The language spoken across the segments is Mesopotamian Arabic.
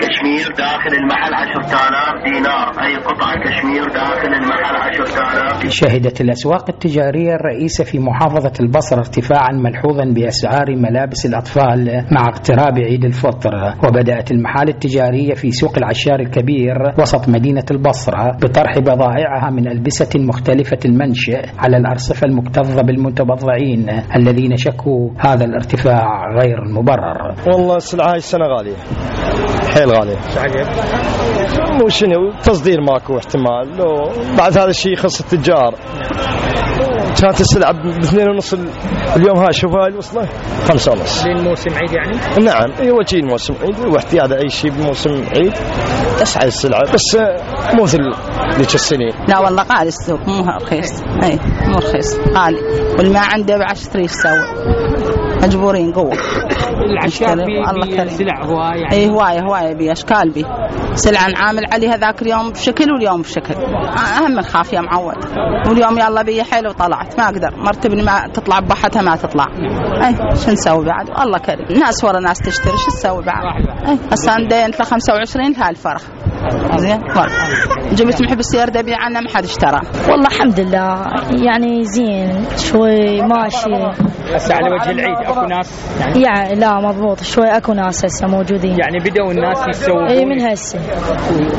كشمير داخل المحل 10,000 دينار. أي قطعة كشمير داخل المحل 10,000. شهدت الأسواق التجارية الرئيسة في محافظة البصرة ارتفاعا ملحوظا بأسعار ملابس الأطفال مع اقتراب عيد الفطر. وبدأت المحال التجارية في سوق العشار الكبير وسط مدينة البصرة بطرح بضائعها من ألبسة مختلفة المنشأ على الأرصفة المكتظة بالمتبضعين الذين شكوا هذا الارتفاع غير المبرر. والله السلعة هاي السنة غالية، حيل غالية. مو شنو تصدير ماكو احتمال، بعد هذا الشيء يخص التجار. كانت السلعة ب2.5 اليوم هاي شوف هاي وصله 5.5 للموسم عيد يعني؟ نعم هو شيء الموسم عيد واحتياج أي شيء بموسم عيد تسعى السلعة، بس مو مثل ذيك السنين. لا والله غالي السوق، مو رخيص. اي مو رخيص، غالي، والما عنده ب10 يسوي، مجبورين قوة. العشاء بي سلع هواية يعني. اي هواية بأشكال بي سلعة نعامل عليها ذاك اليوم بشكل واليوم بشكل. أهم من خاف يا معود، واليوم يلا بي حيل وطلعت ما أقدر مرتبني ما تطلع بحتها ما تطلع. اي شو نسوي بعد؟ الله كريم، ناس ورا ناس تشتري، شو نسوي بعد؟ اي هسه عندي انت 25 لها الفرخ زين، جبت محب السيارة دبي عنه ما حد اشترى. والله الحمد لله يعني زين شوي ماشي. هسه على وجه العيد اكو ناس يعني لا مضبوط شوي اكو ناس هسه موجودين يعني بدأوا الناس يسوقون. اي من هسه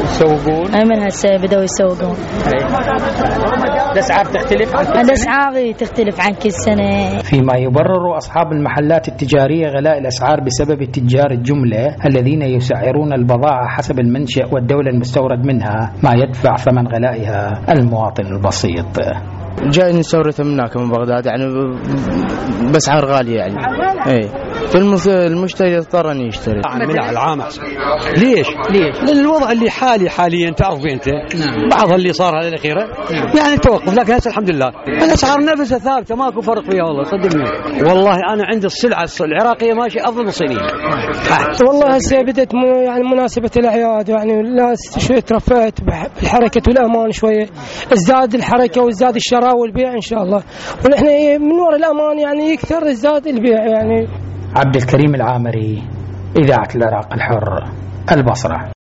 يسوقون، اي من هسه بدأوا يسوقون. الاسعار تختلف عن كل سنة؟ الاسعار تختلف عن كل سنة. فيما يبرر أصحاب المحلات التجارية غلاء الأسعار بسبب تجار الجملة الذين يسعرون البضاعة حسب المنشأ والدولة المستورد منها ما يدفع ثمن غلائها المواطن البسيط. جاي نستورد من هناك من بغداد يعني بأسعار غالية يعني. اي المشتري يضطر ان يشتري من العام احسن. ليش؟ لأن الوضع اللي حاليا تعرف انت بعض اللي صار هذه الأخيرة يعني توقف، لكن هسه الحمد لله الأسعار نفسها ثابتة ماكو فرق فيها والله صدقني. والله أنا عندي السلعة العراقية ماشية أفضل من الصينية. والله هسه بدت يعني مناسبة الأعياد يعني الناس شوية ترفعت بالحركة والأمان شوية، ازداد الحركة وازداد الشراء والبيع إن شاء الله، ونحن من وراء الأمان يعني يكثر ازداد البيع يعني. عبد الكريم العامري، إذاعة العراق الحر، البصرة.